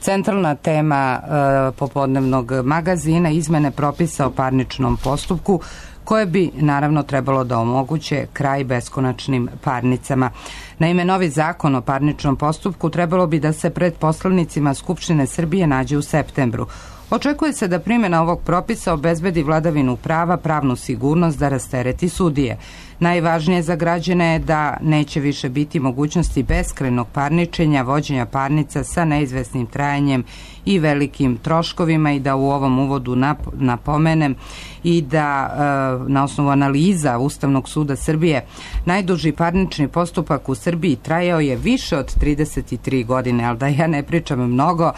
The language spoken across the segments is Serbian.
Centralna tema popodnevnog magazina izmene propisa o parničnom postupku koje bi naravno trebalo da omoguće kraj beskonačnim parnicama. Naime, novi zakon o parničnom postupku trebalo bi da se pred poslanicima Skupštine Srbije nađe u septembru. Očekuje se da primjena ovog propisa obezbedi vladavinu prava, pravnu sigurnost da rastereti sudije. Najvažnije za građane je da neće više biti mogućnosti beskrajnog parničenja, vođenja parnica sa neizvesnim trajanjem i velikim troškovima i da u ovom uvodu napomenem i da na osnovu analiza Ustavnog suda Srbije najduži parnični postupak u Srbiji trajao je više od 33 godine, ali da ja ne pričam mnogo,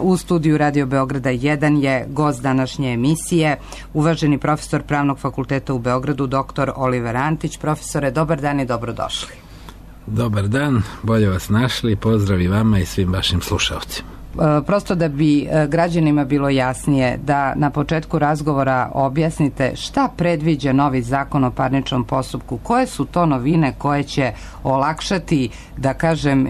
u studiju Radio Beograda 1 je gost današnje emisije, uvaženi profesor Pravnog fakulteta u Beogradu, dr. Oliver Antić. Profesore, dobar dan i dobrodošli. Dobar dan, bolje vas našli, pozdrav i vama i svim vašim slušalcima. Prosto da bi građanima bilo jasnije, da na početku razgovora objasnite šta predviđa novi zakon o parničnom postupku, koje su to novine koje će olakšati, da kažem,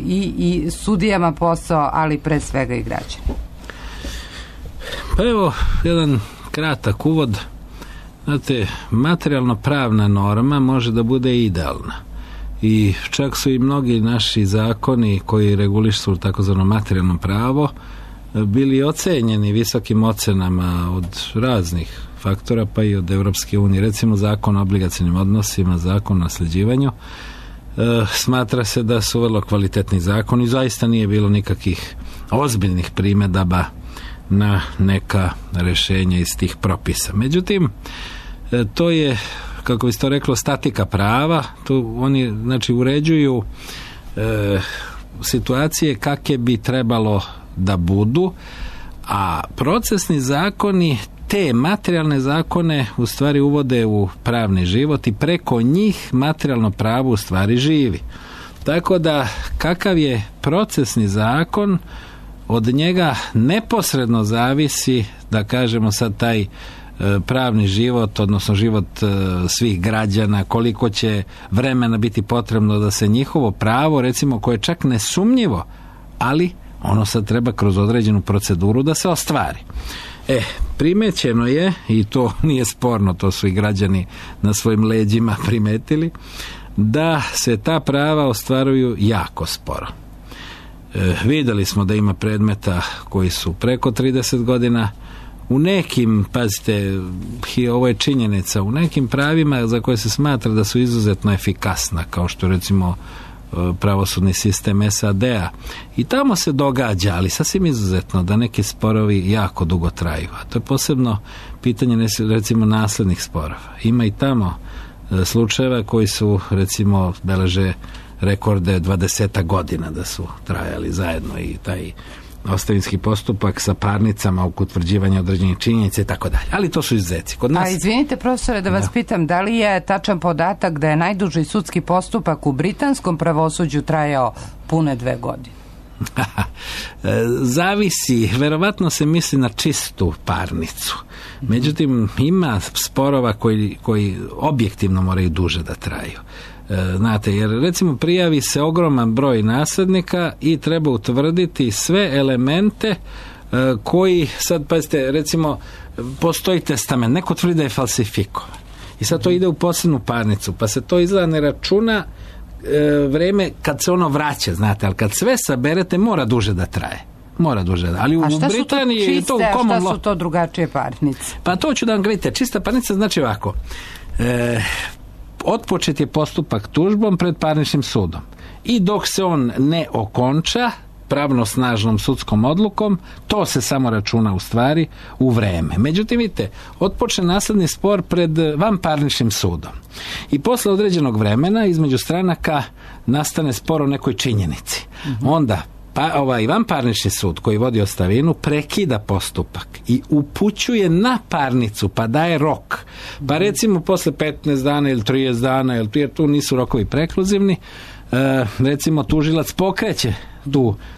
i sudijama posao, ali pre svega i građanima. Pa evo, jedan kratak uvod. Znate, materijalno-pravna norma može da bude idealna. I čak su i mnogi naši zakoni koji regulišu takozvano materijalno pravo bili ocenjeni visokim ocenama od raznih faktora, pa i od Evropske unije. Recimo zakon o obligacionim odnosima, zakon o nasljeđivanju. Smatra se da su vrlo kvalitetni zakoni. Zaista nije bilo nikakvih ozbiljnih primjedaba na neka rješenja iz tih propisa. Međutim, to je, kako bi se to reklo, statika prava. Tu oni, znači, uređuju situacije kakve bi trebalo da budu, a procesni zakoni te materijalne zakone u stvari uvode u pravni život i preko njih materijalno pravo u stvari živi. Tako da kakav je procesni zakon, od njega neposredno zavisi, da kažemo sad, taj pravni život, odnosno život svih građana, koliko će vremena biti potrebno da se njihovo pravo, recimo, koje je čak nesumnjivo, ali ono sad treba kroz određenu proceduru da se ostvari. Primećeno je, i to nije sporno, to su i građani na svojim leđima primetili, da se ta prava ostvaruju jako sporo. Vidjeli smo da ima predmeta koji su preko 30 godina, u nekim, pazite, ovo je činjenica, u nekim pravima za koje se smatra da su izuzetno efikasna, kao što recimo pravosudni sistem SAD-a, i tamo se događa, ali sasvim izuzetno, da neki sporovi jako dugo traju, a to je posebno pitanje, recimo, naslednih sporova. Ima i tamo slučajeva koji su, recimo, beleže rekorde 20 godina da su trajali zajedno, i taj ostavinski postupak sa parnicama oko utvrđivanja određenih činjenica i tako dalje. Ali to su izuzeci. Kod nas... A izvinite, profesore, da vas pitam, da li je tačan podatak da je najduži sudski postupak u britanskom pravosuđu trajao pune 2 godine? Zavisi, verovatno se misli na čistu parnicu. Međutim, ima sporova koji objektivno moraju duže da traju. Znate, jer recimo prijavi se ogroman broj naslednika i treba utvrditi sve elemente koji, sad pazite, recimo postoji testament, neko tvrdi da je falsifikovan i sad to ide u posebnu parnicu, pa se to izgleda ne računa vreme kad se ono vraća, znate, ali kad sve saberete mora duže da traje. Mora duže, ali u Britaniji je to u common law. A šta su to drugačije parnice? Pa to ću da vam gledite. Čista parnica znači ovako. Otpočet je postupak tužbom pred parničnim sudom i dok se on ne okonča pravnosnažnom sudskom odlukom, to se samo računa u stvari u vreme. Međutim, vidite, otpočne nasledni spor pred vanparničnim sudom i posle određenog vremena između stranaka nastane spor o nekoj činjenici. Onda vanparnični sud koji vodi ostavinu prekida postupak i upućuje na parnicu, pa daje rok. Pa recimo posle 15 dana ili 30 dana, jer tu nisu rokovi prekluzivni, recimo tužilac pokreće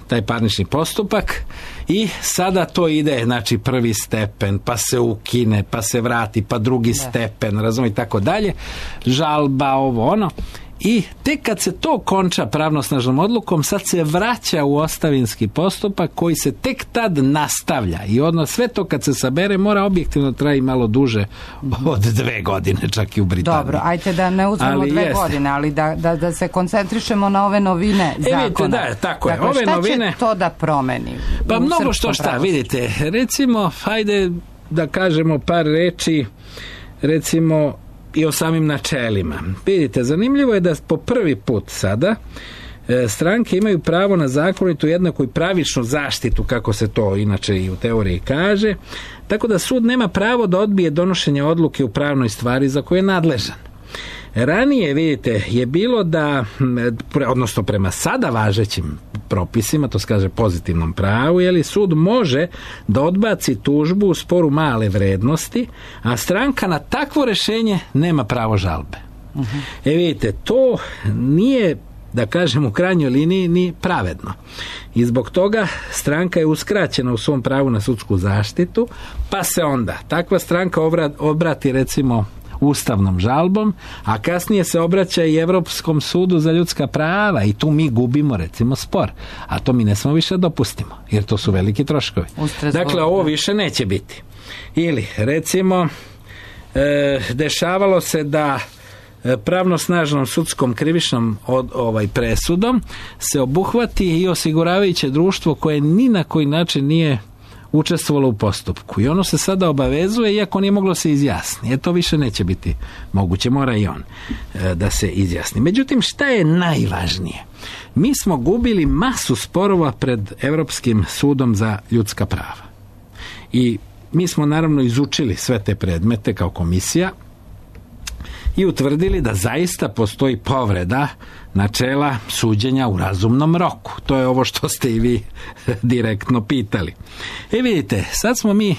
taj parnični postupak i sada to ide, znači, prvi stepen, pa se ukine, pa se vrati, pa drugi stepen, razumije, i tako dalje, žalba, ovo ono. I tek kad se to konča pravnosnažnom odlukom, sad se vraća u ostavinski postupak koji se tek tad nastavlja. I odnos sve to kad se sabere mora objektivno traji malo duže od 2 godine, čak i u Britaniji. Dobro, ajte da ne uzmemo 2 godine, ali da se koncentrišemo na ove novine zakona. Vidite, da, tako je. Dakle, ove šta novine, će to da promeni? Pa mnogo šta, vidite. Recimo, hajde da kažemo par reči, recimo i o samim načelima. Vidite, zanimljivo je da po prvi put sada stranke imaju pravo na zakonitu, jednaku i pravičnu zaštitu, kako se to inače i u teoriji kaže, tako da sud nema pravo da odbije donošenje odluke u pravnoj stvari za koju je nadležan. Ranije, vidite, je bilo da, odnosno prema sada važećim propisima, to se kaže pozitivnom pravu, sud može da odbaci tužbu u sporu male vrednosti, a stranka na takvo rješenje nema pravo žalbe. Vidite, to nije, da kažem, u krajnjoj liniji ni pravedno. I zbog toga stranka je uskraćena u svom pravu na sudsku zaštitu, pa se onda takva stranka obrati recimo ustavnom žalbom, a kasnije se obraća i Europskom sudu za ljudska prava i tu mi gubimo recimo spor, a to mi ne smemo više dopustimo, jer to su veliki troškovi. Dakle, ovo više neće biti. Ili recimo dešavalo se da pravnosnažnom sudskom krivičnom presudom se obuhvati i osiguravajuće društvo koje ni na koji način nije učestvovalo u postupku i ono se sada obavezuje iako nije moglo se izjasniti. To više neće biti moguće, mora i on da se izjasni. Međutim, šta je najvažnije? Mi smo gubili masu sporova pred Europskim sudom za ljudska prava. I mi smo naravno izučili sve te predmete kao komisija i utvrdili da zaista postoji povreda načela suđenja u razumnom roku. To je ovo što ste i vi direktno pitali. Vidite, sad smo mi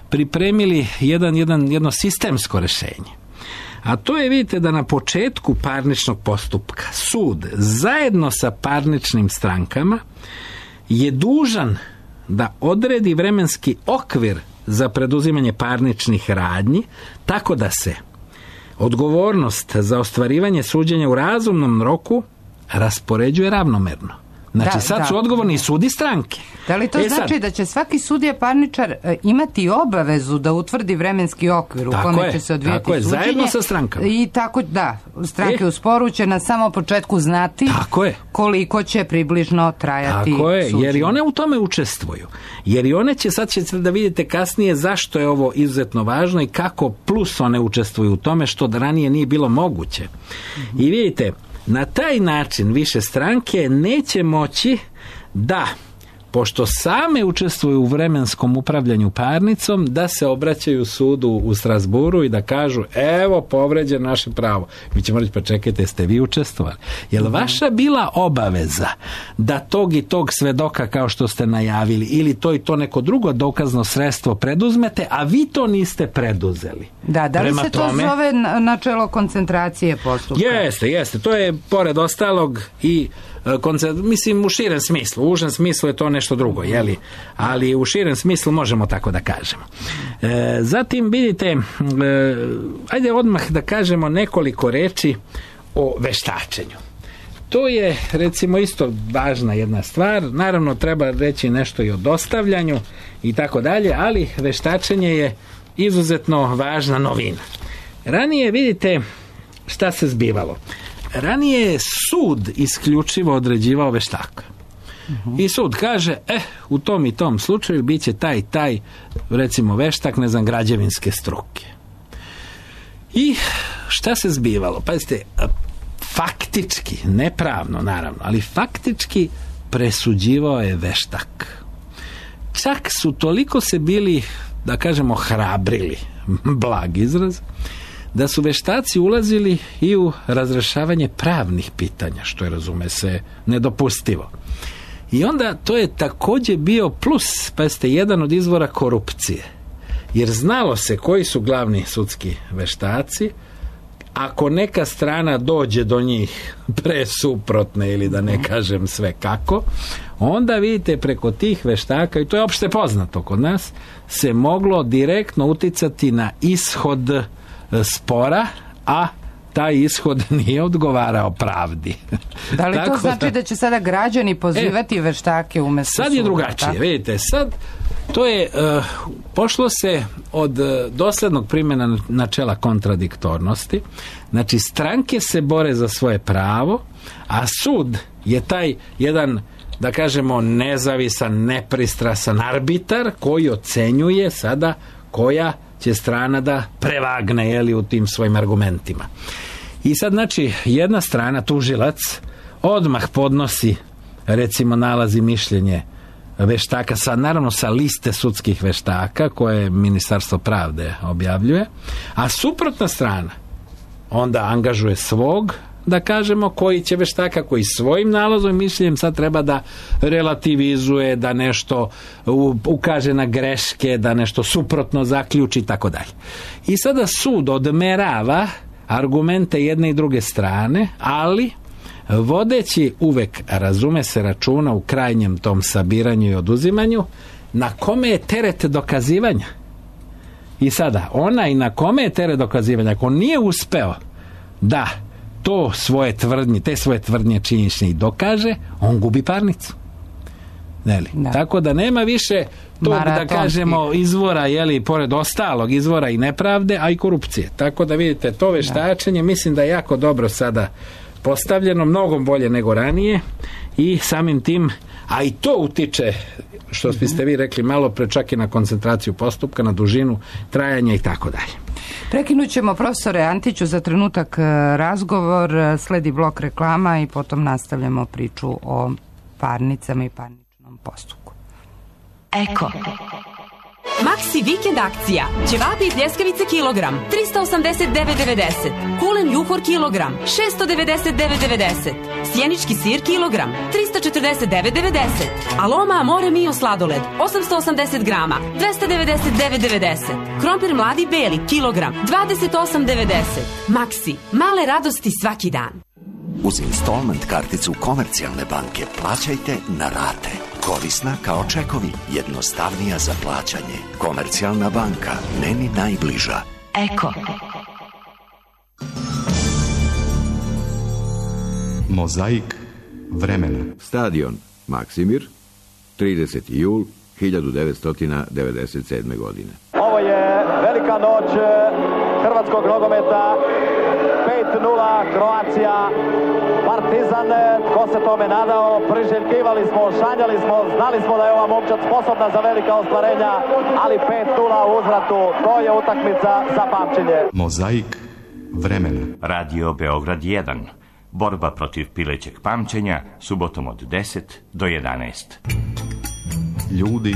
pripremili jedno sistemsko rješenje. A to je, vidite, da na početku parničnog postupka sud zajedno sa parničnim strankama je dužan da odredi vremenski okvir za preduzimanje parničnih radnji, tako da se odgovornost za ostvarivanje suđenja u razumnom roku raspoređuje ravnomerno. Znači, sad su odgovorni i sud i stranke. Da li to znači da će svaki sudija parničar imati obavezu da utvrdi vremenski okvir u kome će se odvijati suđenje? Zajedno sa strankama. I tako, stranke u sporu će na samom početku znati koliko će približno trajati suđenje. Jer i one u tome učestvuju. Jer i one sad ćete da vidite kasnije zašto je ovo izuzetno važno i kako plus one učestvuju u tome što ranije nije bilo moguće. I vidite, na taj način više stranke neće moći da, pošto same učestvuju u vremenskom upravljanju parnicom, da se obraćaju sudu u Strasburu i da kažu, evo, povređen naše pravo. Mi ćemo reći, pa čekajte, jeste vi učestvovali? Je li vaša bila obaveza da tog i tog svedoka, kao što ste najavili, ili to i to neko drugo dokazno sredstvo preduzmete, a vi to niste preduzeli? Da li se to zove načelo koncentracije postupka? Jeste. To je, pored ostalog, i mislim u širem smislu. U užem smislu je to nešto drugo, ali u širem smislu možemo tako da kažemo. Zatim vidite, ajde odmah da kažemo nekoliko reči o veštačenju. To je recimo isto važna jedna stvar. Naravno treba reći nešto i o dostavljanju i tako dalje, ali veštačenje je izuzetno važna novina. Ranije vidite šta se zbivalo. Ranije je sud isključivo određivao veštaka. I sud kaže, u tom i tom slučaju bit će taj, recimo veštak, građevinske struke. I šta se zbivalo? Pazite, faktički, nepravno naravno, ali faktički presuđivao je veštak. Čak su toliko se bili, da kažemo, hrabrili, blag izraz, da su veštaci ulazili i u razrešavanje pravnih pitanja, što je, razume se, nedopustivo. I onda to je također bio plus, pa jeste, jedan od izvora korupcije. Jer znalo se koji su glavni sudski veštaci, ako neka strana dođe do njih presuprotne ili da ne kažem sve kako, onda vidite preko tih veštaka, i to je opšte poznato kod nas, se moglo direktno uticati na ishod spora, a taj ishod nije odgovarao pravdi. Da li to znači da će sada građani pozivati veštake umesto sad je drugačije, tako? Vidite, sad to je, pošlo se od doslednog primjena načela kontradiktornosti, znači stranke se bore za svoje pravo, a sud je taj jedan, da kažemo, nezavisan, nepristrasan arbitar koji ocenjuje sada koja će strana da prevagne, jeli, u tim svojim argumentima. I sad, znači, jedna strana, tužilac, odmah podnosi, recimo, nalazi mišljenje veštaka, naravno sa liste sudskih veštaka koje Ministarstvo pravde objavljuje, a suprotna strana onda angažuje svog, da kažemo, koji će veštaka, koji svojim nalazom i mišljenjem sad treba da relativizuje, da nešto ukaže na greške, da nešto suprotno zaključi i tako dalje. I sada sud odmerava argumente jedne i druge strane, ali vodeći uvek, razume se, računa u krajnjem tom sabiranju i oduzimanju, na kome je teret dokazivanja. I sada, onaj na kome je teret dokazivanja, ako nije uspeo da to svoje tvrdnje, te svoje tvrdnje činjenične i dokaže, on gubi parnicu. Da. Tako da nema više tog, da kažemo, izvora, jeli, pored ostalog izvora i nepravde, a i korupcije. Tako da vidite, to veštačenje mislim da je jako dobro sada postavljeno, mnogo bolje nego ranije i samim tim, a i to utiče, što ste vi rekli malo pre, čak i na koncentraciju postupka, na dužinu trajanja i tako dalje. Prekinut ćemo, profesore Antiću, za trenutak razgovor, sledi blok reklama i potom nastavljamo priču o parnicama i parničnom postupku. Eko. Maxi vikend akcija. Ćevapi i pljeskavice kilogram 389,90. Kulen juhor kilogram 699,90. Sjenički sir kilogram 349,90. Aloma Amore Mio sladoled 880 grama 299,90. Krompir mladi beli kilogram 28,90. Maxi, male radosti svaki dan. Uz installment karticu Komercijalne banke plaćajte na rate. Korisna kao čekovi, jednostavnija za plaćanje. Komercijalna banka, meni najbliža. Eko. Mozaik vremena. Stadion Maksimir, 30. jul 1997. godine. Ovo je velika noć hrvatskog nogometa. 5-0 Kroacija, Partizan, ko se tome nadao, priželjkivali smo, sanjali smo, znali smo da je ova momčad sposobna za velika ostvarenja, ali 5-0 u uzvratu, to je utakmica za pamćenje. Mozaik vremena. Radio Beograd 1. Borba protiv pilećeg pamćenja, subotom od 10 do 11. Ljudi,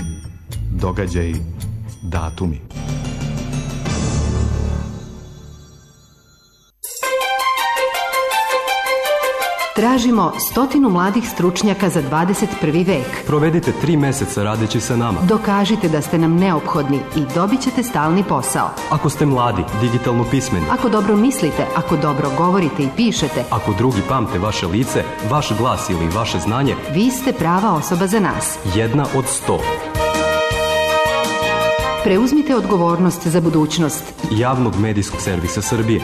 događaji, datumi. Tražimo 100 mladih stručnjaka za 21. vek. Provedite 3 meseca radeći sa nama. Dokažite da ste nam neophodni i dobit ćete stalni posao. Ako ste mladi, digitalno pismeni. Ako dobro mislite, ako dobro govorite i pišete. Ako drugi pamte vaše lice, vaš glas ili vaše znanje. Vi ste prava osoba za nas. 1 od 100. Preuzmite odgovornost za budućnost Javnog medijskog servisa Srbije.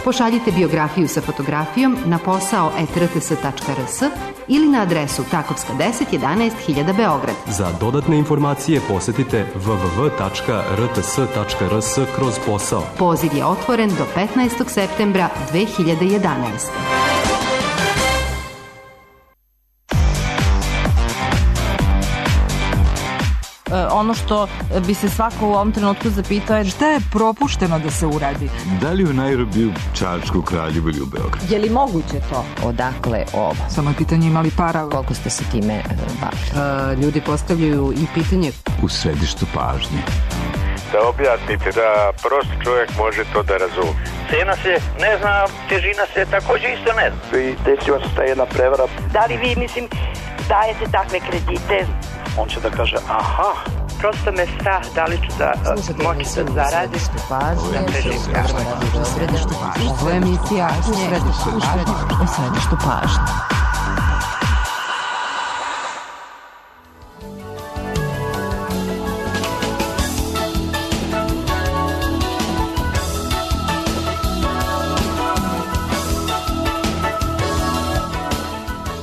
Pošaljite biografiju sa fotografijom na posao@rts.rs ili na adresu Takovska 10 11 000 Beograd. Za dodatne informacije posetite www.rts.rs/posao. Poziv je otvoren do 15. septembra 2011. Ono što bi se svako u ovom trenutku zapitao je šta je propušteno da se uradi. Da li u Nairobiju, Čačku, Kraljevu ili u Beogradu? Je li moguće to? Odakle ovo? Samo je pitanje imali para. Koliko ste se time bavili? Ljudi postavljaju i pitanje U središtu pažnje. Da objasnite da prosti čovjek može to da razumije. Cena se ne zna, težina se također isto ne zna. I desila se ta jedna prevara. Da li vi, dajete takve kredite? On će da kaže, aha. Prosto me strah, da li ću da moći da zaradim. Ovo je emisija U središtu pažnje.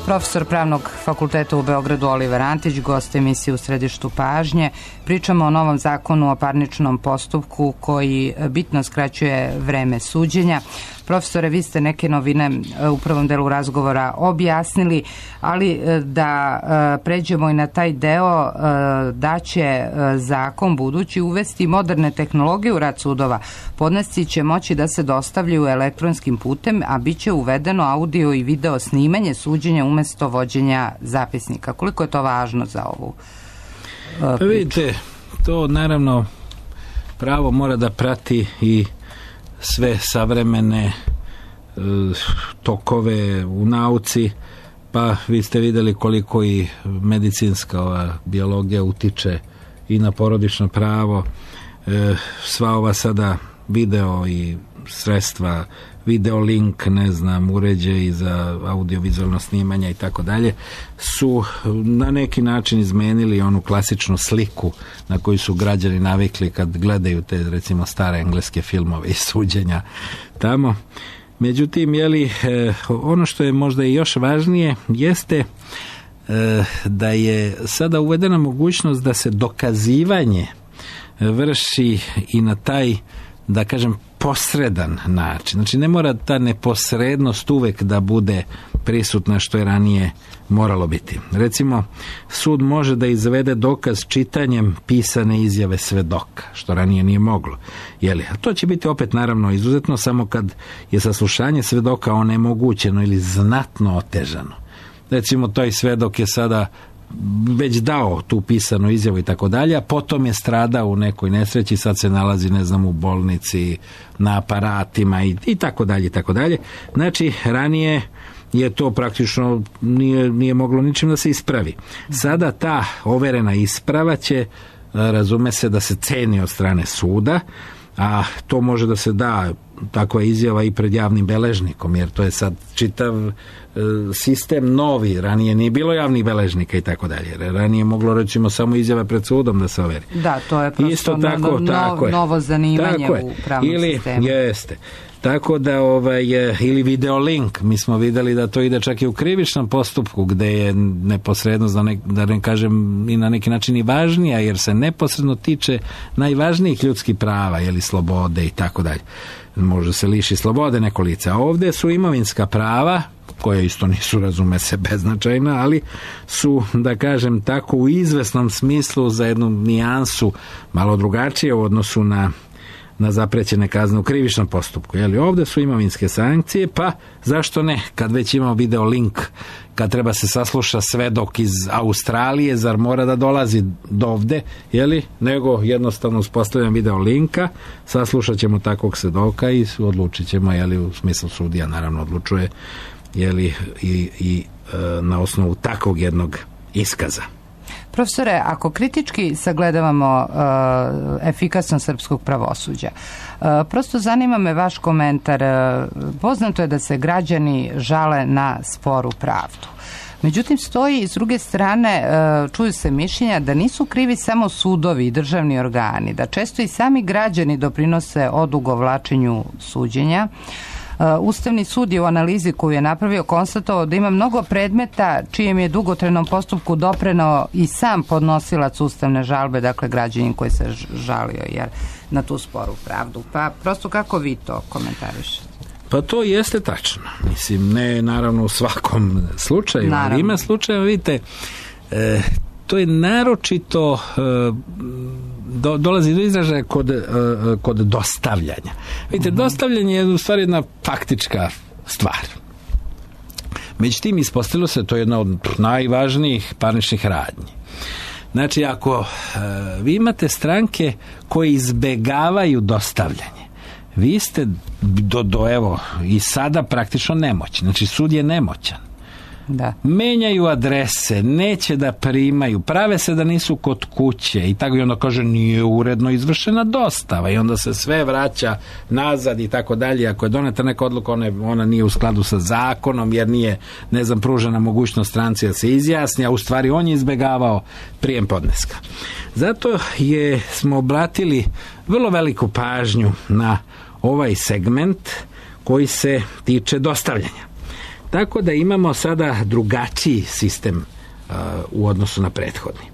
Profesor Pravnog fakulteta u Beogradu Oliver Antić, gost emisije U središtu pažnje. Pričamo o novom zakonu o parničnom postupku koji bitno skraćuje vreme suđenja. Profesore, vi ste neke novine u prvom delu razgovora objasnili, ali da pređemo i na taj deo da će zakon budući uvesti moderne tehnologije u rad sudova. Podnesci će moći da se dostavljaju elektronskim putem, a bit će uvedeno audio i video snimanje suđenja umesto vođenja zapisnika. Koliko je to važno za ovu priču? Vidite, to naravno pravo mora da prati i sve savremene tokove u nauci, pa vi ste vidjeli koliko i medicinska biologija utiče i na porodično pravo, sva ova sada video i sredstva, video link, ne znam, uređaji za audiovizualno snimanje i tako dalje, su na neki način izmenili onu klasičnu sliku na koju su građani navikli kad gledaju te, recimo, stare engleske filmove i suđenja tamo. Međutim, ono što je možda i još važnije jeste da je sada uvedena mogućnost da se dokazivanje vrši i na taj, da kažem, posredan način. Znači, ne mora ta neposrednost uvek da bude prisutna što je ranije moralo biti. Recimo, sud može da izvede dokaz čitanjem pisane izjave svedoka, što ranije nije moglo. A to će biti opet naravno izuzetno samo kad je saslušanje svedoka onemogućeno ili znatno otežano. Recimo, taj svedok je sada već dao tu pisanu izjavu i tako dalje, a potom je stradao u nekoj nesreći, sad se nalazi, ne znam, u bolnici, na aparatima i tako dalje, i tako dalje. Znači, ranije je to praktično nije moglo ničim da se ispravi. Sada ta overena isprava će, razume se, da se ceni od strane suda, a to može da se da takva izjava i pred javnim beležnikom, jer to je sad čitav sistem novi, ranije nije bilo javnih beležnika i tako dalje. Ranije moglo, recimo, samo izjava pred sudom da se overi. Da, to je prosto novo zanimanje u pravnom sistemu. Jeste. Tako da, ili videolink, mi smo vidjeli da to ide čak i u krivičnom postupku, gde je neposrednost, da ne kažem i na neki način i važnija, jer se neposredno tiče najvažnijih ljudskih prava, slobode i tako dalje. Može se liši slobode neko lice. A ovdje su imovinska prava, koje isto nisu, razume se, beznačajna, ali su, da kažem tako, u izvesnom smislu za jednu nijansu malo drugačije u odnosu na zaprećene kazne u krivičnom postupku. Ovdje su imovinske sankcije, pa zašto ne? Kad već imamo video link, kad treba se sasluša svedok iz Australije, zar mora da dolazi do ovde, nego jednostavno uspostavljam video linka, saslušat ćemo takvog svedoka i odlučit ćemo, u smislu sudija naravno odlučuje, i na osnovu takvog jednog iskaza. Profesore, ako kritički sagledavamo efikasnost srpskog pravosuđa, prosto zanima me vaš komentar. Poznato je da se građani žale na sporu pravdu. Međutim, stoji s druge strane, čuju se mišljenja da nisu krivi samo sudovi i državni organi, da često i sami građani doprinose odugovlačenju suđenja. Ustavni sud je u analizi koju je napravio konstatovao da ima mnogo predmeta čijem je dugotrajnom postupku doprineo i sam podnosilac ustavne žalbe, dakle građanin koji se žalio na tu sporu pravdu. Pa prosto kako vi to komentarišete? Pa to jeste tačno. Mislim, ne naravno u svakom slučaju, ali ima slučajeva, vidite, to je naročito dolazi do izražaja kod dostavljanja. Vidite, dostavljanje je u stvari jedna faktička stvar. Međutim, ispostavilo se to je jedna od najvažnijih parničnih radnji. Znači, ako vi imate stranke koje izbegavaju dostavljanje, vi ste evo i sada praktično nemoćni. Znači, sud je nemoćan. Da. Menjaju adrese, neće da primaju, prave se da nisu kod kuće i tako, i onda kaže nije uredno izvršena dostava i onda se sve vraća nazad i tako dalje. Ako je doneta neka odluka, ona nije u skladu sa zakonom jer nije, ne znam, pružena mogućnost stranci da se izjasni, a u stvari on je izbegavao prijem podneska. Zato smo obratili vrlo veliku pažnju na ovaj segment koji se tiče dostavljanja. Tako da imamo sada drugačiji sistem u odnosu na prethodni.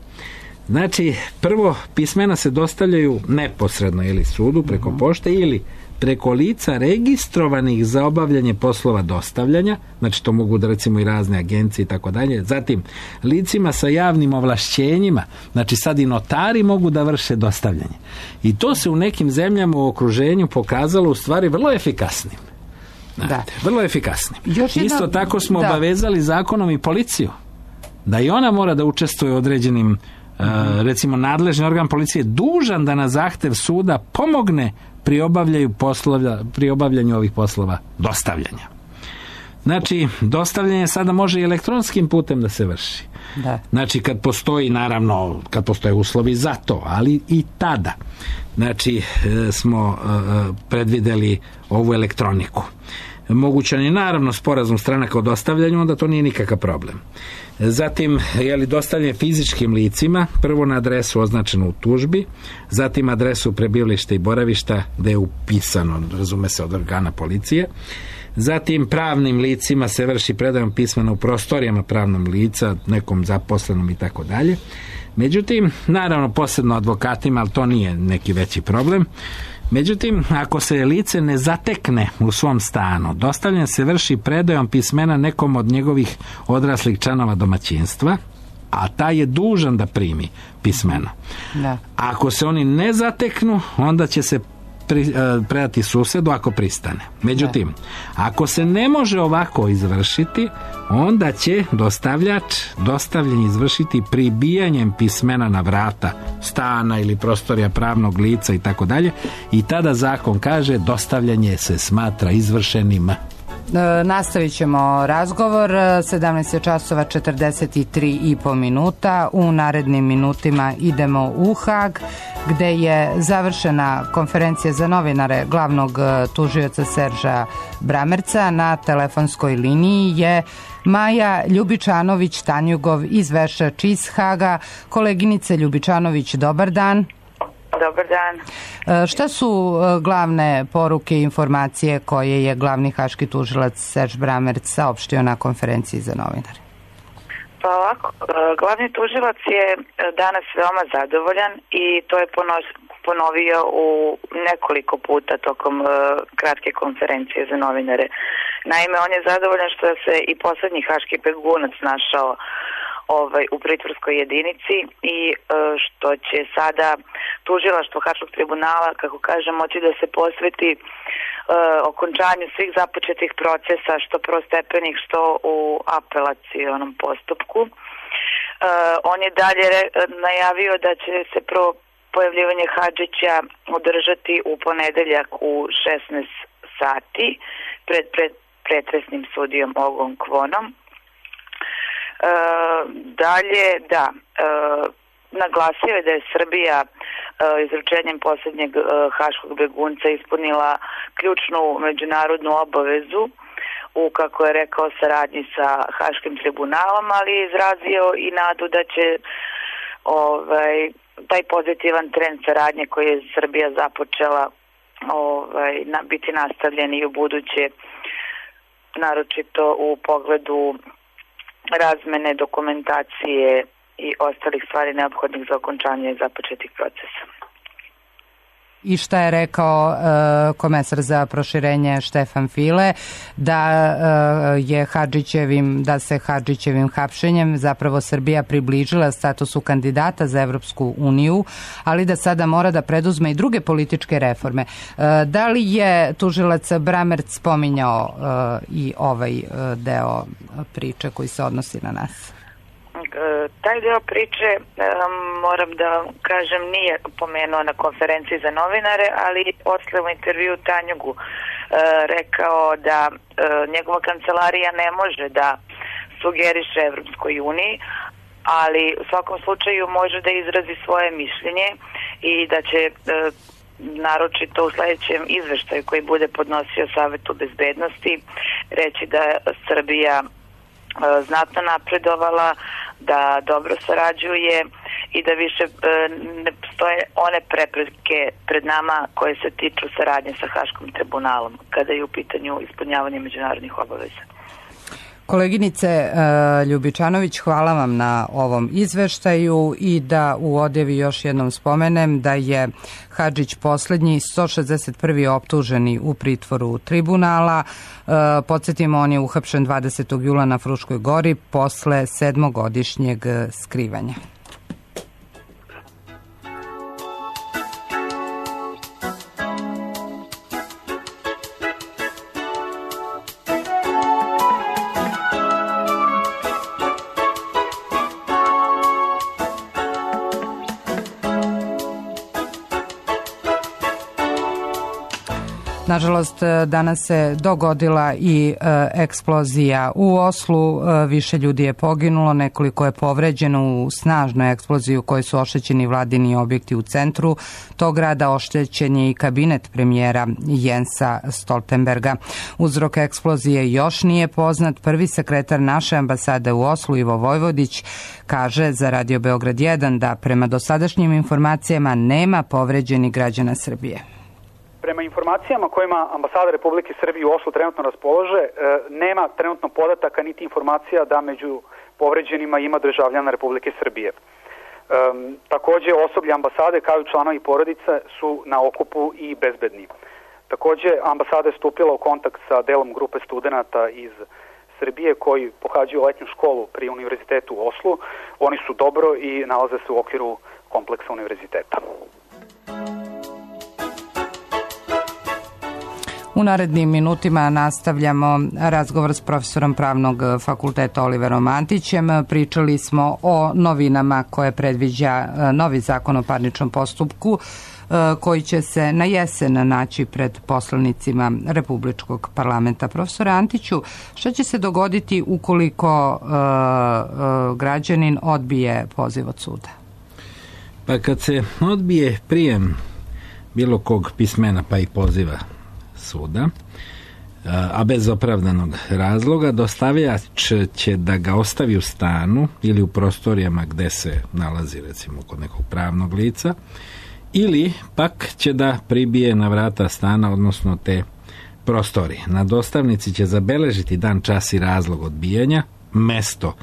Znači, prvo, pismena se dostavljaju neposredno ili sudu preko pošte ili preko lica registrovanih za obavljanje poslova dostavljanja, znači to mogu da recimo i razne agencije i tako dalje. Zatim, licima sa javnim ovlašćenjima, znači sad i notari mogu da vrše dostavljanje. I to se u nekim zemljama u okruženju pokazalo u stvari vrlo efikasnim. Znate, vrlo efikasnim. Isto tako smo obavezali zakonom i policiju, da i ona mora da učestvuje u određenim recimo nadležni organ policije dužan da na zahtev suda pomogne pri obavljanju ovih poslova dostavljanja. Znači, dostavljanje sada može i elektronskim putem da se vrši. Da. Znači, kad postoje uslovi za to, ali i tada. Znači, smo predvideli ovu elektroniku. Mogućan je naravno sporazum stranaka o dostavljanju, onda to nije nikakav problem. Zatim, dostavljanje fizičkim licima, prvo na adresu označenu u tužbi, zatim adresu prebivališta i boravišta gde je upisano, razume se, od organa policije. Zatim, pravnim licima se vrši predajom pismena u prostorijama pravnom lica, nekom zaposlenom i tako dalje. Međutim, naravno posebno advokatima, ali to nije neki veći problem. Međutim, ako se lice ne zatekne u svom stanu, dostavljanje se vrši predajom pismena nekom od njegovih odraslih članova domaćinstva, a taj je dužan da primi pismeno. Da. Ako se oni ne zateknu, onda će se predati susedu ako pristane. Međutim, ako se ne može ovako izvršiti, onda će dostavljač dostavljanje izvršiti pribijanjem pismena na vrata stana ili prostorija pravnog lica i tako dalje, i tada zakon kaže dostavljanje se smatra izvršenim. Nastavit ćemo razgovor. 17 časova 43,5 minuta. U narednim minutima idemo u Hag, gde je završena konferencija za novinare glavnog tužioca Serža Bramerca. Na telefonskoj liniji je Maja Ljubičanović-Tanjugov iz Vešač iz Haga. Koleginice Ljubičanović, dobar dan. Dobar dan. Šta su glavne poruke i informacije koje je glavni haški tužilac Serž Bramerc saopštio na konferenciji za novinare? Pa ovako, glavni tužilac je danas veoma zadovoljan i to je ponovio u nekoliko puta tokom kratke konferencije za novinare. Naime, on je zadovoljan što se i poslednji haški begunac našao u pritvorskoj jedinici i što će sada tužilaštvo Haškog tribunala, kako kaže, moći da se posveti okončanju svih započetih procesa, što prvostepenih, što u apelacionom postupku. On je dalje najavio da će se prvo pojavljivanje Hadžića održati u ponedeljak u 16 sati pred pretresnim sudijom Ogom Kvonom. Dalje, naglasio je da je Srbija izručenjem posljednjeg haškog begunca ispunila ključnu međunarodnu obavezu u, kako je rekao, saradnji sa Haškim tribunalom, ali je izrazio i nadu da će taj pozitivan trend saradnje koji je Srbija započela biti nastavljen i u buduće, naročito u pogledu razmene dokumentacije i ostalih stvari neophodnih za okončanje započetih procesa. I šta je rekao komesar za proširenje Štefan File, da se Hadžićevim hapšenjem zapravo Srbija približila statusu kandidata za Evropsku uniju, ali da sada mora da preduzme i druge političke reforme. Da li je tužilac Bramerc spominjao i ovaj deo priče koji se odnosi na nas? Taj deo priče, moram da kažem, nije pomenuo na konferenciji za novinare, ali posle u intervju Tanjugu rekao da njegova kancelarija ne može da sugeriše Evropskoj uniji, ali u svakom slučaju može da izrazi svoje mišljenje i da će naročito u sledećem izveštaju koji bude podnosio Savetu bezbednosti reći da Srbija znatno napredovala, da dobro sarađuje i da više ne postoje one prepreke pred nama koje se tiču saradnje sa Haškim tribunalom kada je u pitanju ispunjavanje međunarodnih obaveza. Koleginice Ljubičanović, hvala vam na ovom izveštaju i da u odjevi još jednom spomenem da je Hadžić poslednji 161. optuženi u pritvoru tribunala. Podsjetimo, on je uhapšen 20. jula na Fruškoj gori posle 7-godišnjeg skrivanja. Nažalost, danas se dogodila i eksplozija u Oslu. Više ljudi je poginulo, nekoliko je povređeno u snažnoj eksploziji u kojoj su oštećeni vladini objekti u centru tog grada. Oštećen je i kabinet premijera Jensa Stoltenberga. Uzrok eksplozije još nije poznat. Prvi sekretar naše ambasade u Oslu, Ivo Vojvodić, kaže za Radio Beograd 1 da prema dosadašnjim informacijama nema povređenih građana Srbije. Prema informacijama kojima ambasada Republike Srbije u Oslu trenutno raspolože, nema trenutno podataka niti informacija da među povređenima ima državljana Republike Srbije. Takođe, osoblje ambasade kao i članovi porodice su na okupu i bezbedni. Takođe, ambasada je stupila u kontakt sa delom grupe studenta iz Srbije koji pohađaju letnju školu pri Univerzitetu u Oslu. Oni su dobro i nalaze se u okviru kompleksa univerziteta. U narednim minutima nastavljamo razgovor s profesorom Pravnog fakulteta Oliverom Antićem. Pričali smo o novinama koje predviđa novi zakon o parničnom postupku koji će se na jesen naći pred poslanicima Republičkog parlamenta. Profesore Antiću, šta će se dogoditi ukoliko građanin odbije poziv od suda? Pa kad se odbije prijem bilo kog pismena pa i poziva suda, a bez opravdanog razloga, dostavljač će da ga ostavi u stanu ili u prostorijama gde se nalazi, recimo kod nekog pravnog lica, ili pak će da pribije na vrata stana, odnosno te prostorije. Na dostavnici će zabeležiti dan, čas i razlog odbijanja, mesto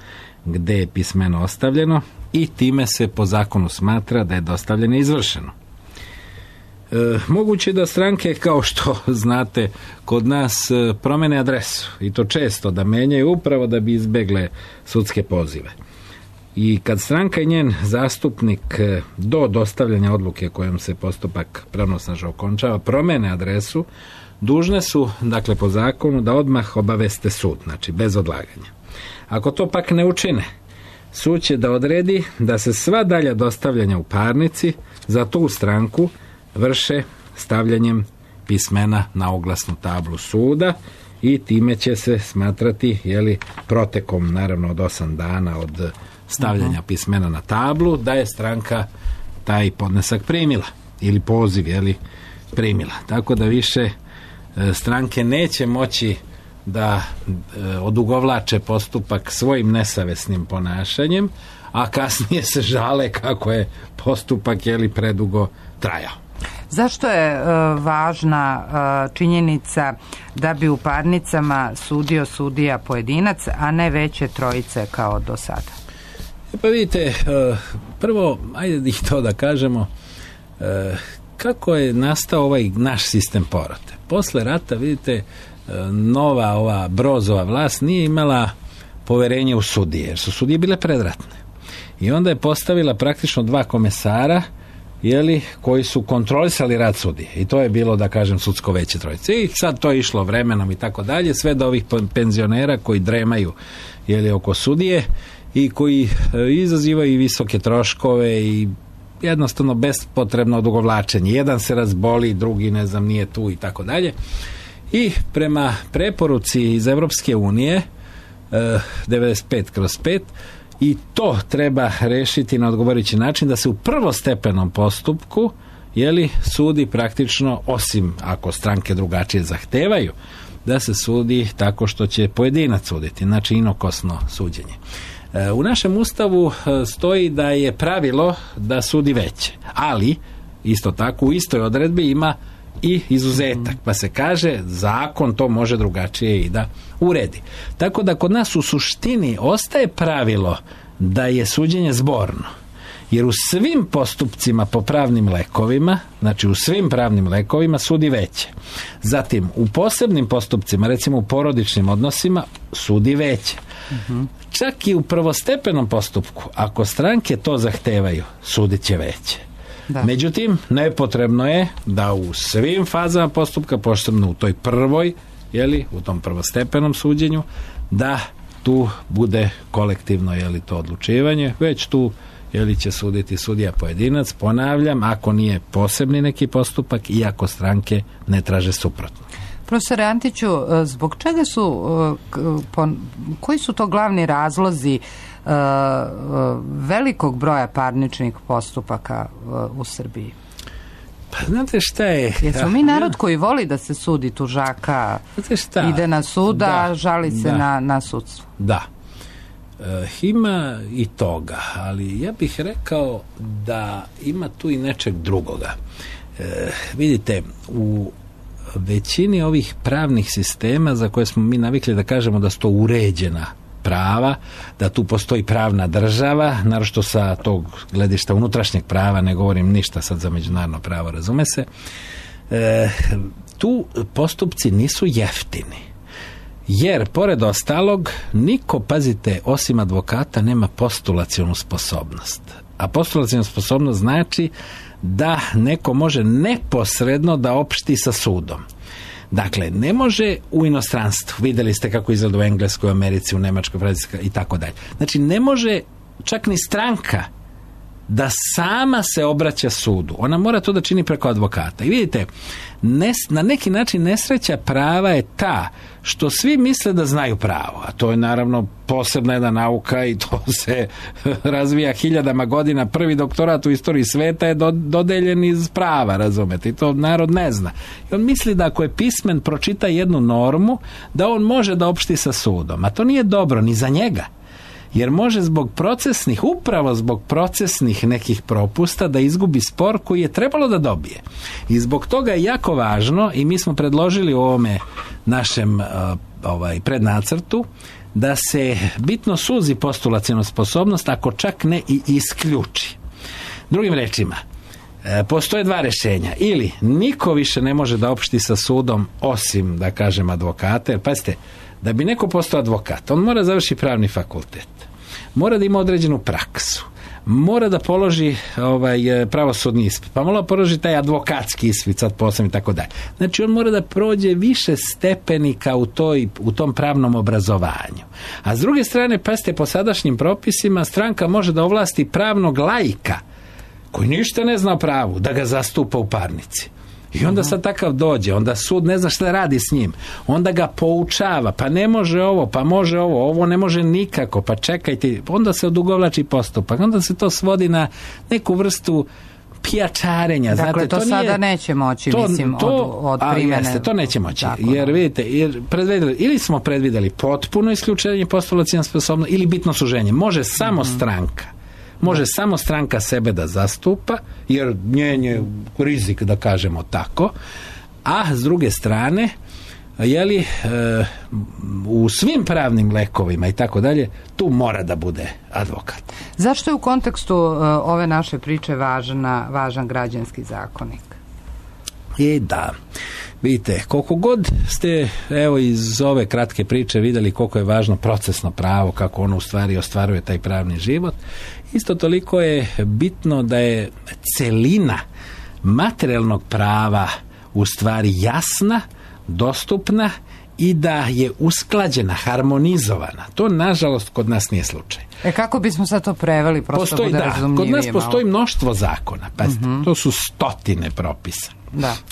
gde je pismeno ostavljeno i time se po zakonu smatra da je dostavljanje izvršeno. Moguće da stranke, kao što znate, kod nas promene adresu i to često da menjaju upravo da bi izbegle sudske pozive. I kad stranka i njen zastupnik do dostavljanja odluke kojom se postupak pravnosnažno okončava promene adresu, dužne su, dakle po zakonu, da odmah obaveste sud, znači bez odlaganja. Ako to pak ne učine, sud će da odredi da se sva dalja dostavljanja u parnici za tu stranku vrše stavljanjem pismena na oglasnu tablu suda i time će se smatrati, protekom naravno od 8 dana od stavljanja pismena na tablu, da je stranka taj podnesak primila ili poziv primila. Tako da više stranke neće moći da odugovlače postupak svojim nesavesnim ponašanjem, a kasnije se žale kako je postupak predugo trajao. Zašto je važna činjenica da bi u parnicama sudio sudija pojedinac, a ne veće trojice kao do sada? Pa vidite, prvo, ajde i to da kažemo, kako je nastao ovaj naš sistem porote. Posle rata, vidite, nova ova Brozova vlast nije imala poverenje u sudije, jer su sudije bile predratne. I onda je postavila praktično 2 komesara koji su kontrolisali rad sudije. I to je bilo, da kažem, sudsko veće trojice. I sad to je išlo vremenom i tako dalje, sve do ovih penzionera koji dremaju oko sudije i koji izazivaju visoke troškove i jednostavno bespotrebno odugovlačenje. Jedan se razboli, drugi nije tu i tako dalje. I prema preporuci iz Evropske unije 95/5 i to treba rešiti na odgovarajući način, da se u prvostepenom postupku sudi praktično, osim ako stranke drugačije zahtevaju, da se sudi tako što će pojedinac suditi, znači inokosno suđenje. U našem Ustavu stoji da je pravilo da sudi veće, ali isto tako u istoj odredbi ima i izuzetak, pa se kaže zakon to može drugačije i da uredi. Tako da kod nas u suštini ostaje pravilo da je suđenje zborno, jer u svim postupcima po pravnim lekovima, znači u svim pravnim lekovima sudi veće. Zatim u posebnim postupcima, recimo u porodičnim odnosima, sudi veće. Čak i u prvostepenom postupku, ako stranke to zahtevaju, sudit će veće. Da. Međutim, nepotrebno je da u svim fazama postupka, posebno u toj prvoj, u tom prvostepenom suđenju, da tu bude kolektivno to odlučivanje, već tu će suditi sudija pojedinac, ponavljam, ako nije posebni neki postupak i ako stranke ne traže suprotno. Profesore Antiću, zbog čega koji su to glavni razlozi velikog broja parničnih postupaka u Srbiji? Pa znate šta je? Jesmo mi narod koji voli da se sudi, tužaka ide na sud, a žali se na sudstvo? Da. Ima i toga, ali ja bih rekao da ima tu i nečeg drugoga. Vidite, u većini ovih pravnih sistema za koje smo mi navikli da kažemo da su to uređena prava, da tu postoji pravna država, naročito sa tog gledišta unutrašnjeg prava, ne govorim ništa sad za međunarodno pravo, razume se, tu postupci nisu jeftini. Jer, pored ostalog, niko, pazite, osim advokata nema postulacionu sposobnost. A postulacionu sposobnost znači da neko može neposredno da opšti sa sudom. Dakle, ne može u inostranstvu, vidjeli ste kako izgleda u Engleskoj, Americi, u Nemačkoj, Francuskoj i tako dalje. Znači, ne može čak ni stranka da sama se obraća sudu. Ona mora to da čini preko advokata. I vidite, na neki način nesreća prava je ta što svi misle da znaju pravo, a to je naravno posebna jedna nauka i to se razvija hiljadama godina. Prvi doktorat u istoriji sveta je dodeljen iz prava, razumete, i to narod ne zna. I on misli da ako je pismen, pročita jednu normu, da on može da opšti sa sudom, a to nije dobro ni za njega. Jer može upravo zbog procesnih nekih propusta da izgubi spor koji je trebalo da dobije. I zbog toga je jako važno, i mi smo predložili u ovome našem prednacrtu, da se bitno suzi postulacionu sposobnost, ako čak ne i isključi. Drugim rečima, postoje dva rješenja. Ili niko više ne može da opšti sa sudom osim, da kažem, advokata. Jer pazite, da bi neko postao advokat, on mora završiti pravni fakultet, mora da ima određenu praksu, mora da položi pravosudni ispit, pa mora da položi taj advokatski ispit, sad posebno i tako dalje. Znači, on mora da prođe više stepenika u tom pravnom obrazovanju. A s druge strane, pazite, po sadašnjim propisima stranka može da ovlasti pravnog laika koji ništa ne zna o pravu, da ga zastupa u parnici. I onda sad takav dođe, onda sud ne zna šta radi s njim, onda ga poučava, pa ne može ovo, pa može ovo ne može nikako, pa čekajte, onda se odugovlači postupak, onda se to svodi na neku vrstu pijačarenja. Dakle, znate, to sada neće moći, od primjene. To neće moći, jer vidite, ili smo predvidjeli potpuno isključenje postulacione sposobnosti ili bitno suženje. Može samo stranka. Može samo stranka sebe da zastupa, jer njen je rizik, da kažemo tako, a s druge strane, u svim pravnim lekovima i tako dalje, tu mora da bude advokat. Zašto je u kontekstu ove naše priče važan građanski zakonik? Da, vidite, koliko god ste iz ove kratke priče vidjeli koliko je važno procesno pravo, kako ono u stvari ostvaruje taj pravni život, isto toliko je bitno da je celina materijalnog prava u stvari jasna, dostupna i da je usklađena, harmonizovana. To, nažalost, kod nas nije slučaj. Kako bismo sad to preveli, prosto bude razumljivije? Kod nas postoji mnoštvo zakona, pazite, to su stotine propisa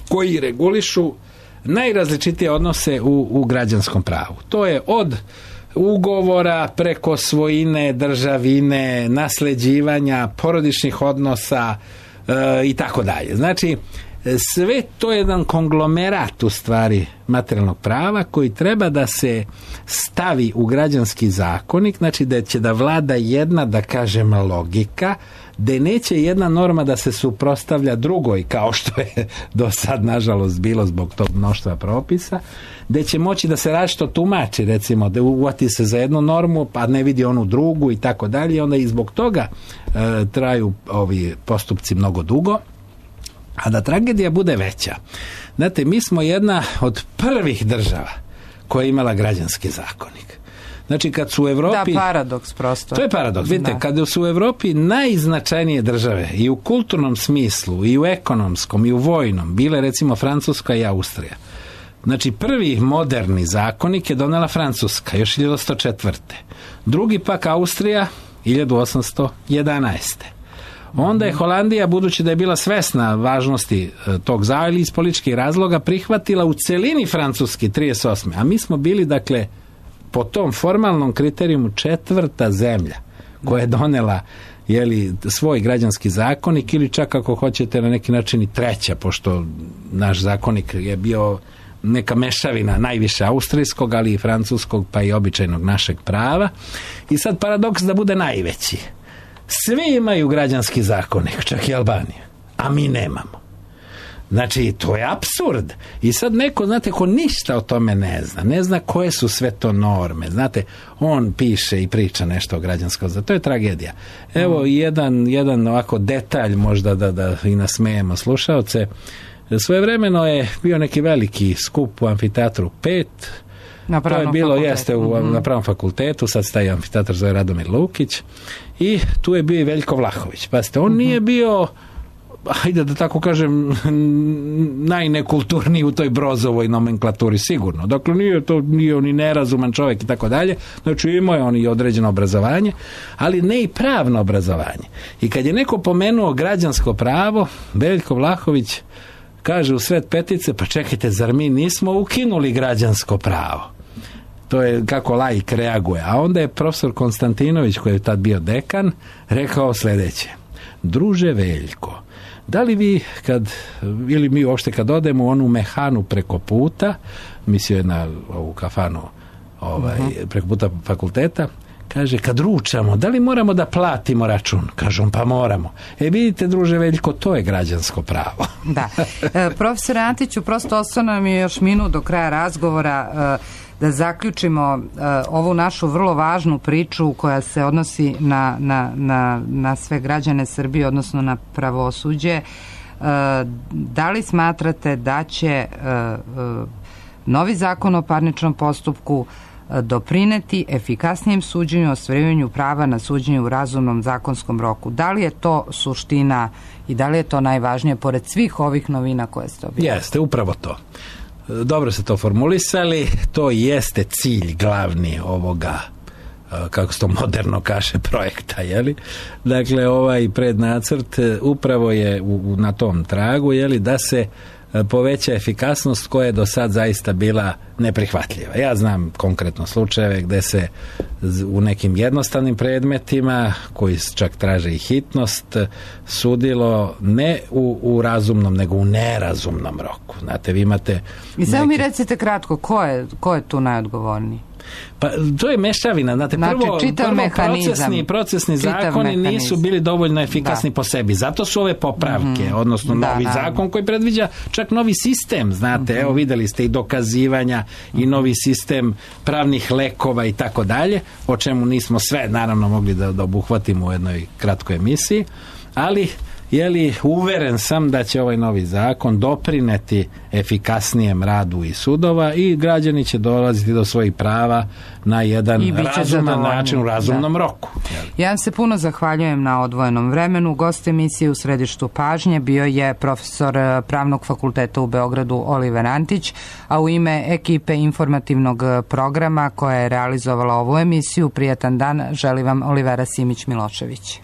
koji regulišu najrazličitije odnose u građanskom pravu. To je od ugovora preko svojine, državine, nasleđivanja, porodičnih odnosa i tako dalje. Znači, sve to je jedan konglomerat u stvari materijalnog prava koji treba da se stavi u građanski zakonik, znači da će da vlada jedna, da kažem, logika, gde neće jedna norma da se suprotstavlja drugoj, kao što je do sad nažalost bilo zbog tog mnoštva propisa, gde će moći da se različito tumači, recimo da uvati se za jednu normu pa ne vidi onu drugu i tako dalje, onda i zbog toga traju ovi postupci mnogo dugo. A da tragedija bude veća, znate, mi smo jedna od prvih država koja je imala građanski zakonik. Znači, kad su u Evropi... Da, paradoks prosto. To je paradoks. Vidite, kad su u Evropi najznačajnije države i u kulturnom smislu, i u ekonomskom, i u vojnom, bile recimo Francuska i Austrija. Znači, prvi moderni zakonik je donela Francuska, još 1804. Drugi pak Austrija, 1811. Onda je Holandija, budući da je bila svesna važnosti tog ili iz političkih razloga, prihvatila u celini francuski 38. A mi smo bili, dakle, po tom formalnom kriterijumu 4. zemlja koja je donela svoj građanski zakonik, ili čak ako hoćete na neki način i 3. pošto naš zakonik je bio neka mešavina najviše austrijskog, ali i francuskog, pa i običajnog našeg prava. I sad paradoks da bude najveći. Svi imaju građanski zakonik, čak i Albanija, a mi nemamo. Znači, to je apsurd. I sad neko, znate, ko ništa o tome ne zna koje su sve to norme. Znate, on piše i priča nešto o građanskom zakonik. To je tragedija. Evo jedan ovako detalj možda da i nasmejemo slušaoce. Svojevremeno je bio neki veliki skup u amfiteatru 5. To je bilo, na Pravnom fakultetu, sad staje amfiteatar zove Radomir Lukić, i tu je bio i Veljko Vlahović. Pazite, on nije bio, hajde da tako kažem, najnekulturniji u toj Brozovoj nomenklaturi, sigurno. Dakle, nije on i nerazuman čovjek i tako dalje. Znači, imao je on i određeno obrazovanje, ali ne i pravno obrazovanje. I kad je neko pomenuo građansko pravo, Veljko Vlahović kaže u sred petice, pa čekajte, zar mi nismo ukinuli građansko pravo? To je kako laik reaguje. A onda je profesor Konstantinović, koji je tad bio dekan, rekao sljedeće: druže Veljko, da li vi ili mi uopšte kad odemo u onu mehanu preko puta, mislio je na ovu kafanu preko puta fakulteta, kaže, kad ručamo, da li moramo da platimo račun? Kažem, pa moramo. Vidite, druže Veljko, to je građansko pravo. Da. Profesore Antiću, prosto ostao nam je još minut do kraja razgovora da zaključimo ovu našu vrlo važnu priču koja se odnosi na sve građane Srbije, odnosno na pravosuđe. Da li smatrate da će novi zakon o parničnom postupku doprineti efikasnijem suđenju, ostvarivanju prava na suđenje u razumnom zakonskom roku? Da li je to suština i da li je to najvažnije pored svih ovih novina koje ste objavili? Jeste, upravo to. Dobro ste to formulisali, to jeste cilj glavni ovoga, kako se to moderno kaže, projekta, jeli? Dakle, ovaj prednacrt upravo je na tom tragu, jeli, da se poveća efikasnost koja je do sad zaista bila neprihvatljiva. Ja znam konkretno slučajeve gde se u nekim jednostavnim predmetima, koji čak traže i hitnost, sudilo ne u razumnom, nego u nerazumnom roku. Znate, vi imate... I samo mi recite kratko, ko je tu najodgovorniji? Pa to je mešavina, znate, prvo procesni zakoni nisu bili dovoljno efikasni po sebi, zato su ove popravke, odnosno novi zakon koji predviđa čak novi sistem, znate, evo videli ste i dokazivanja i novi sistem pravnih lekova i tako dalje, o čemu nismo sve naravno mogli da obuhvatimo u jednoj kratkoj emisiji, ali uveren sam da će ovaj novi zakon doprineti efikasnijem radu i sudova i građani će dolaziti do svojih prava na jedan razuman način, u razumnom roku. Ja vam se puno zahvaljujem na odvojenom vremenu. Gost emisije u središtu pažnje bio je profesor Pravnog fakulteta u Beogradu Oliver Antić, a u ime ekipe informativnog programa koja je realizovala ovu emisiju, prijatan dan želi vam Olivera Simić-Milošević.